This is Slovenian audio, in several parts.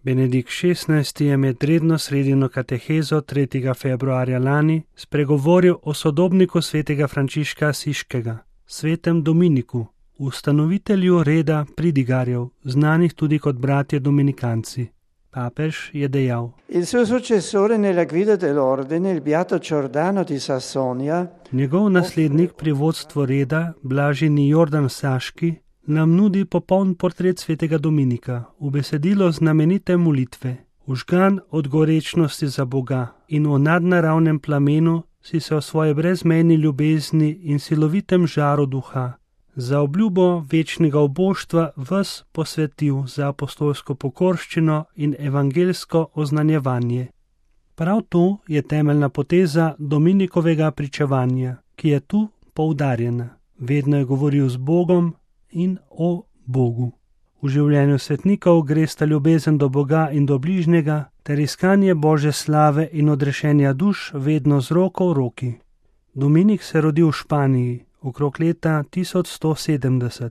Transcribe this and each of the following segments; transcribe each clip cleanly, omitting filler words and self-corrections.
Benedikt XVI je med redno sredino katehezo 3. februarja lani spregovoril o sodobniku svetega Frančiška Asiškega, svetem Dominiku, ustanovitelju reda pridigarjev, znanih tudi kot bratje dominikanci. Papež je dejal: Il suo successore nella guida dell'ordine, il beato Giordano di Sassonia, njegov naslednik pri vodstvu reda, blaženi Jordan Saški, nam nudi popoln portret svetega Dominika v besedilo znamenite molitve. Užgan od gorečnosti za Boga in o nadnaravnem plamenu si se o svoje brezmejni ljubezni in silovitem žaru duha za obljubo večnega oboštva ves posvetil za apostolsko pokorščino in evangelsko oznanjevanje. Prav to je temeljna poteza Dominikovega pričevanja, ki je tu poudarjena. Vedno je govoril z Bogom in o Bogu. V življenju svetnikov gresta ljubezen do Boga in do bližnjega ter iskanje Božje slave in odrešenja duš vedno z roko v roki. Dominik se rodil v Španiji okrog leta 1170.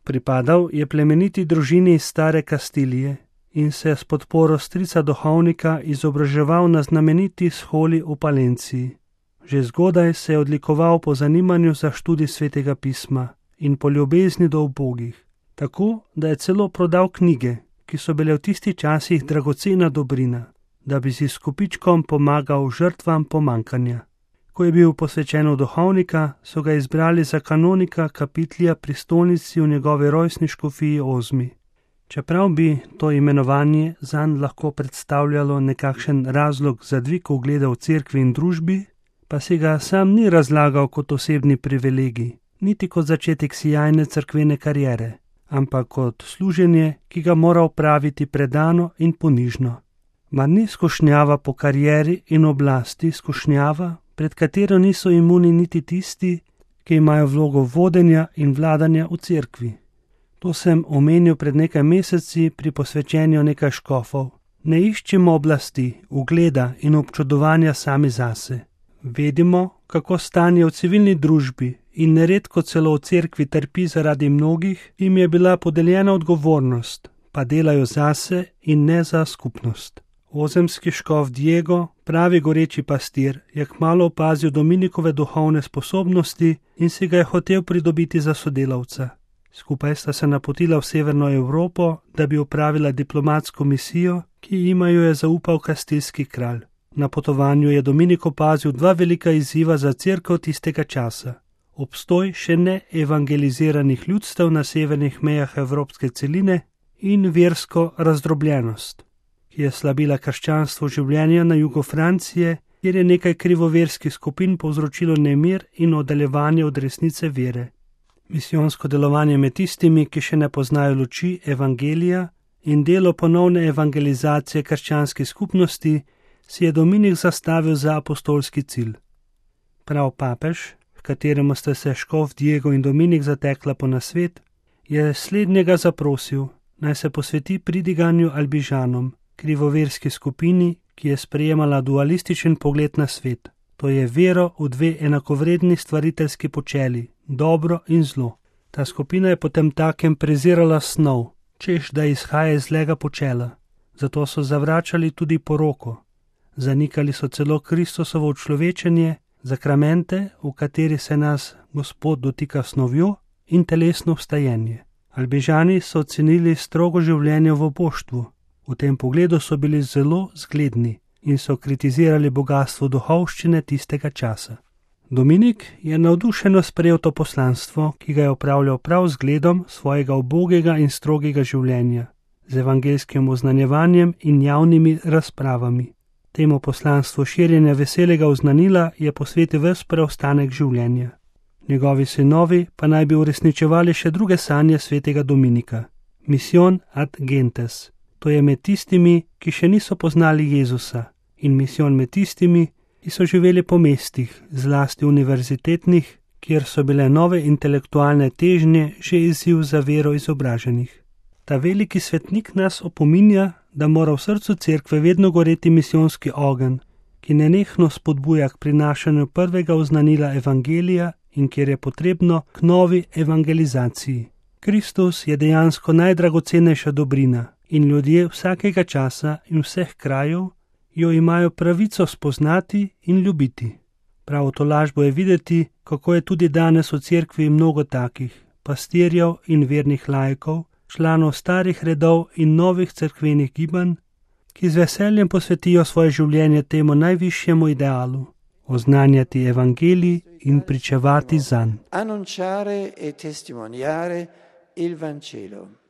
Pripadal je plemeniti družini iz stare Kastilije in se s podporo strica duhovnika izobraževal na znameniti sholi v Palenciji. Že zgodaj se je odlikoval po zanimanju za študij svetega pisma in po ljubezni do ubogih, tako da je celo prodal knjige, ki so bile v tistih časih dragocena dobrina, da bi si s kupičkom pomagal žrtvam pomankanja. Ko je bil posvečen v duhovnika, so ga izbrali za kanonika kapitlja pri stolnici v njegovi rojstni škofiji Ozmi. Čeprav bi to imenovanje zanj lahko predstavljalo nekakšen razlog za dvig ugleda v cerkvi in družbi, pa si ga sam ni razlagal kot osebni privilegij, niti kot začetek sijajne cerkvene kariere, ampak kot služenje, ki ga mora opraviti predano in ponižno. Mar ni skušnjava po karieri in oblasti skušnjava, pred katero niso imuni niti tisti, ki imajo vlogo vodenja in vladanja v cerkvi. To sem omenil pred nekaj meseci pri posvečenju nekaj škofov. Ne iščemo oblasti, ugleda in občudovanja sami zase. Vedimo, kako stanje v civilni družbi in neredko celo v cerkvi trpi zaradi mnogih, jim je bila podeljena odgovornost, pa delajo zase in ne za skupnost. Ozemski škof Diego, pravi goreči pastir, je kmalu opazil Dominikove duhovne sposobnosti in si ga je hotel pridobiti za sodelavca. Skupaj sta se napotila v severno Evropo, da bi opravila diplomatsko misijo, ki jima jo je zaupal kastilski kralj. Na potovanju je Dominik opazil dva velika izziva za cerkev tistega časa. Obstoj še ne evangeliziranih ljudstev na severnih mejah evropske celine in versko razdrobljenost, ki je slabila krščanstvo življenja na jugu Francije, kjer je nekaj krivoverskih skupin povzročilo nemir in oddaljevanje od resnice vere. Misijonsko delovanje med tistimi, ki še ne poznajo luči evangelija, in delo ponovne evangelizacije krščanskih skupnosti si je Dominik zastavil za apostolski cilj. Prav papež, v kateremu sta se škof Diego in Dominik zatekla po nasvet, je slednjega zaprosil, naj se posveti pridiganju Albižanom, krivoverski skupini, ki je sprejemala dualističen pogled na svet. To je vero v dve enakovredni stvariteljski počeli, dobro in zlo. Ta skupina je potem takem prezirala snov, češ da izhaja iz zlega počela. Zato so zavračali tudi poroko. Zanikali so celo Kristusovo učlovečenje, zakramente, v kateri se nas Gospod dotika snovjo, in telesno vstajenje. Albižani so ocenili strogo življenje v oboštvu. V tem pogledu so bili zelo zgledni in so kritizirali bogatstvo duhovščine tistega časa. Dominik je navdušeno sprejel to poslanstvo, ki ga je opravljal prav z gledom svojega ubogega in strogega življenja, z evangelskim oznanjevanjem in javnimi razpravami. Temu poslanstvu širjenja veselega oznanila je posvetil ves preostanek življenja. Njegovi sinovi pa naj bi uresničevali še druge sanje svetega Dominika. Mission ad gentes. To je med tistimi, ki še niso poznali Jezusa, in misijon med tistimi, ki so živeli po mestih, zlasti univerzitetnih, kjer so bile nove intelektualne težnje že izziv za vero izobraženih. Ta veliki svetnik nas opominja, da mora v srcu cerkve vedno goreti misijonski ogenj, ki nenehno spodbuja k prinašanju prvega oznanila evangelija in kjer je potrebno k novi evangelizaciji. Kristus je dejansko najdragocenejša dobrina in ljudje vsakega časa in vseh krajev jo imajo pravico spoznati in ljubiti. Prav v tolažbo je videti, kako je tudi danes v cerkvi mnogo takih pastirjev in vernih laikov, članov starih redov in novih cerkvenih gibanj, ki z veseljem posvetijo svoje življenje temu najvišjemu idealu, oznanjati evangelij in pričevati zanj. Annunciare e testimoniare il Vangelo.